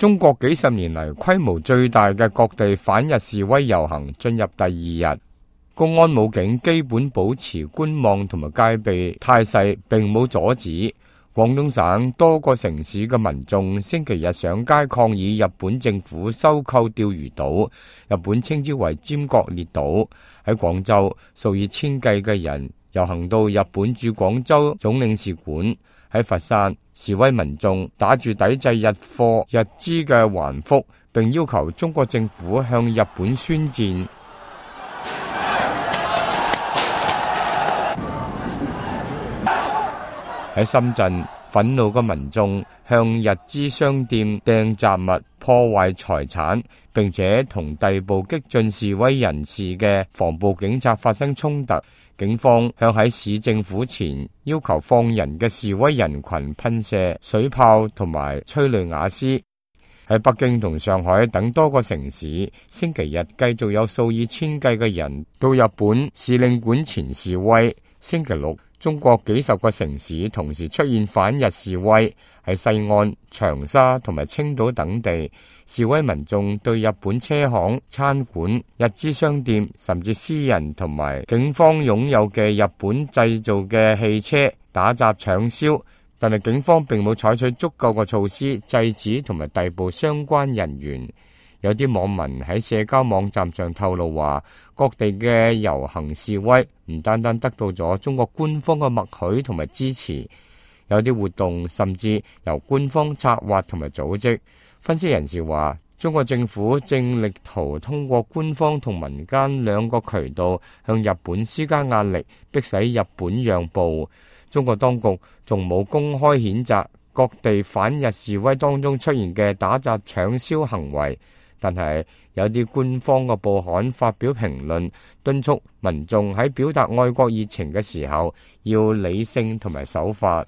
中國幾十年嚟規模最大嘅各地反日示威遊行進入第二日，公安武警基本保持觀望同埋戒備態勢，並冇阻止。廣東省多個城市嘅民眾星期日上街抗議日本政府收購釣魚島，日本稱之為尖閣列島。喺廣州，數以千計嘅人遊行到日本駐廣州總領事館。喺佛山，示威民眾打住抵制日貨日資嘅橫幅，並要求中國政府向日本宣戰。喺深圳，憤怒嘅民眾向日資商店掟雜物，破壞財產，並且同逮捕激進示威人士嘅防暴警察發生衝突。警方向喺市政府前要求放人嘅示威人群噴射水炮同埋催淚瓦斯。喺北京同上海等多個城市，星期日繼續有數以千計嘅人到日本使領館前示威。星期六，中國幾十個城市同時出現反日示威，喺西安、長沙同埋青島等地，示威民眾對日本車行、餐館、日資商店，甚至私人同埋警方擁有嘅日本製造嘅汽車打砸搶燒，但係警方並冇採取足夠嘅措施制止同埋逮捕相關人員。有啲網民喺社交網站上透露話，各地嘅遊行示威唔單單得到咗中國官方嘅默許同埋支持，有啲活動甚至由官方策劃同埋組織。分析人士話，中國政府正力圖通過官方同民間兩個渠道向日本施加壓力，迫使日本讓步。中國當局仲冇公開譴責各地反日示威當中出現嘅打砸搶燒行為。但係有啲官方嘅報刊發表評論，敦促民眾喺表達愛國熱情嘅時候要理性同埋守法。